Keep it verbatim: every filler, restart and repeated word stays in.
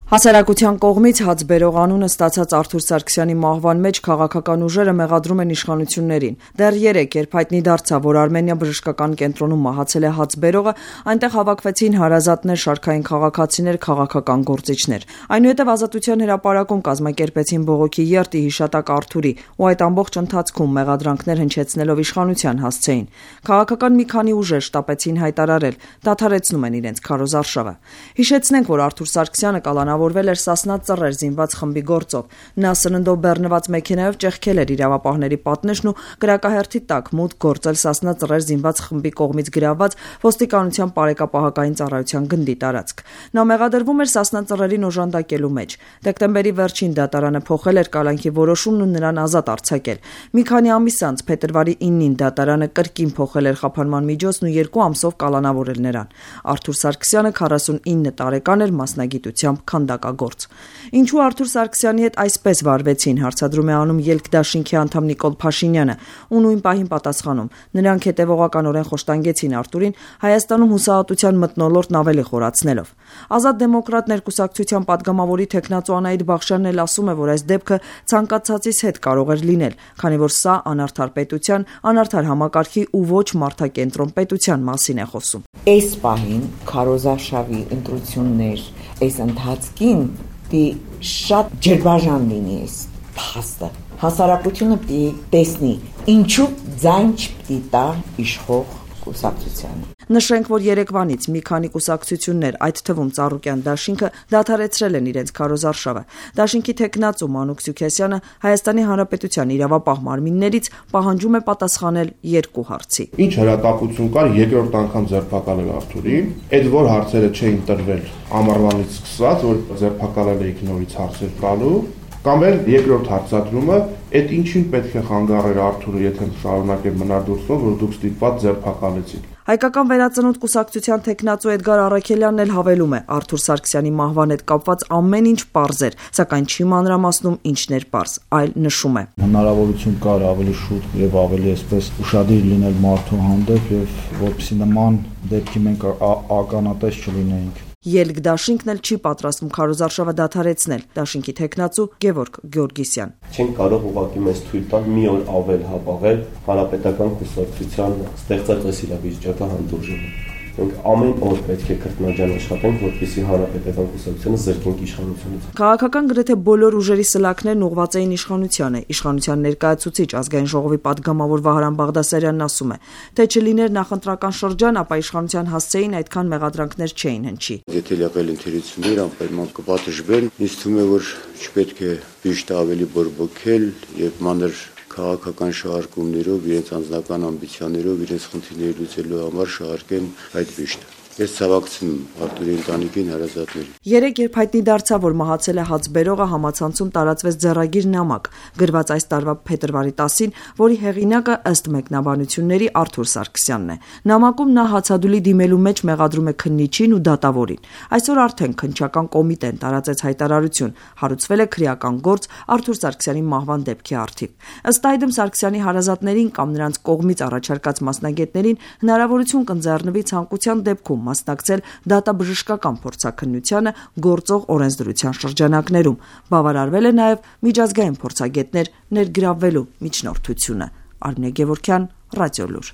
Հասարակության կողմից հաց բերող անունը ստացած Արթուր Սարգսյանի մահվան մեջ քաղաքական ուժերը մեղադրում են իշխանություններին։ Դեռ երեկ, երբ հայտնի դարձավ, որ Արմենիա բժշկական կենտրոնում մահացել է հաց բերողը, այնտեղ հավաքվեցին հարազատներ, շարքային քաղաքացիներ, քաղաքական գործիչներ։ Այնուհետև Ազատության հրապարակում կազմակերպեցին բողոքի երթ ի հիշատակ Արթուրի ու այդ ամբողջ ընթացքում մեղադրանքներ հնչեցնելով իշխանության հասցեին։ Քաղաքական մի քանի ուժեր շտապեցին հայտարարել, դադարեցնում են իրենց քարոզարշավը։ Հիշեցնենք, որ Արթուր Սարգսյանը կալանավորվել էր Սասնա Ծռեր զինված խմբի գործով։ Նա սննդով բեռնված մեքենայով ճեղքել էր իրավապահների պատնեշն ու կրակահերթի տակ մուտք գործել Սասնա Ծռեր զինված խմբի կողմից գրաված ոստիկանության պարեկապահական ծառայության գնդի տարածք։ Նա մեղադրվում էր Սասնա Ծռերին օժանդակելու մեջ։ Դեկտեմբերի վերջին դատարանը փոխել էր կալանքի որոշումն ու նրան ազատ արձակել։ Մի քանի ամիս անց փետրվարի իննին դատարանը կրկին փոխել էր խափանման միջոցն ու երկու ամսով կալանավորել նրան։ Արթուր Սարգսյանը քառասունինը տարեկան էր, մասնագիտությամբ քանդակագործ։ Ինչու Արթուր Սարգսյանի հետ այսպես վարվեցին, հարցադրում է անում Ելք դաշինքի անդամ Նիկոլ Փաշինյանը, ու նույն պահին պատասխանում. նրանք հետևողականորեն խոշտանգեցին Արթուրին, Հայաստանում հուսահատության մթնոլորտն ավելի խորացնելով։ Ազատ դեմոկրատներ կուսակցության падգամավորի թեկնածու Անահիտ Բախշյանն էլ ասում է, որ այս դեպքը ցանկացածից հետ կարող էր լինել, քանի որ սա անարդար պետության, անարդար համակարգի ու ոչ մարդակենտրոն պետության մասին է խոսում։ Այս պահին քարոզարշավի ընտրություններ, այս ընթացքին պիտի շատ ջրբաժան լինի այս փաստը։ Հասարակությունը պիտի տեսնի, ինչու ձայն չպիտի տա իշխող կուսակցությանը։ Նշենք, որ երեկվանից մի քանի կուսակցություններ, այդ թվում Ծառուկյան դաշինքը, դադարեցրել են իրենց քարոզարշավը։ Դաշինքի թեկնածու Մանուկ Սուքեսյանը Հայաստանի Հանրապետության իրավապահ մարմիններից պահանջում է պատասխանել երկու հարցի։ Ինչ հրատապություն կար երկրորդ անգամ ձերբակալել Արթուրին, այդ որ հարցերը չէին տրվել ամառվանից սկսած, որ ձերբակալել էիք նորից հարցեր տալու, կամ էլ երկրորդ հարցադրումը, այդ ինչին պետք է խանգարեր Արթուրը, եթե շարունակեր մնար դուրսում, որ դուք ստիպված ձերբակալեցիք։ Հայկական վերածնունդ կուսակցության թեկնածու Էդգար Առաքելյանն էլ հավելում է, Արթուր Սարգսյանի մահվան հետ կապված ամեն ինչ պարզ էր, սակայն չի մանրամասնում ինչն էր պարզ, այլ նշում է. Հնարավորություն կար ավելի շուտ եւ ավելի այսպես ուշադիր լինել մարդու հանդեպ եւ որպեսզի նման դեպքի մենք ականատես չլինեինք։ Ելք դաշինքն էլ չի պատրաստվում քարոզարշավը դադարեցնել, դաշինքի թեկնածու Գևորգ Գյորգիսյան։ Չեն կարող ուղղակի մեզ թույլ տալ մի օր ավել հապաղել հանրապետական կուսակցության ստեղծած այս իրավիճակը հանդուրժել։ Մենք ամեն օր պետք է կրկնաջան աշխատենք, որպեսզի հանրապետական կուսակցությունը զրկենք իշխանությունից։ Քաղաքական գրեթե բոլոր ուժերի սլաքներն ուղղված էին իշխանությանը։ Իշխանության ներկայացուցիչ ազգային ժողովի падգամավոր Վահրամ Բաղդասարյանն ասում է, թե չլիներ նախընտրական շրջան, ապա իշխանության հասցեին այդքան մեղադրանքներ չէին հնչի։ Եթե եղել ընթերցումներ, անպայման կպատժվեն, ինձ թվում է, որ չպետք է ճիշտ ավելի բորբոքել եւ մանր քաղաքական շահարկումներով, իրենց անձնական ամբիցիաներով, իրենց խնդիրները լուծելու համար շահարկեն այդ վիշտը։ Ես ցավակցում Արթուրի ընտանիքին, հարազատներին։ Երեկ, երբ հայտնի դարձավ, որ մահացել է հաց բերողը, համացանցում տարածվեց ձեռագիր նամակ, գրված այս տարվա փետրվարի տասին, որի հեղինակը ըստ մեկնաբանությունների Արթուր Սարգսյանն է։ Նամակում նա հացադուլի դիմելու մեջ մեղադրում է քննիչին ու դատավորին։ Այսօր արդեն քննչական կոմիտեն տարածեց հայտարարություն, հարուցվել է քրեական գործ Արթուր Սարգսյանի մահվան դեպքի առթիվ։ Ըստ այդմ Սարգսյանի հարազատներին կամ նրանց կողմից առաջարկած մասնագետներին հնարավորություն կընձեռնվի ցանկության դեպքում մասնակցել դատաբժշկական փորձաքննությանը գործող օրենսդրության շրջանակներում։ Բավարարվել է նաև միջազգային փորձագետներ ներգրավվելու միջնորդությունը։ Արմինե Գևորգյան, Ռադիոլուր։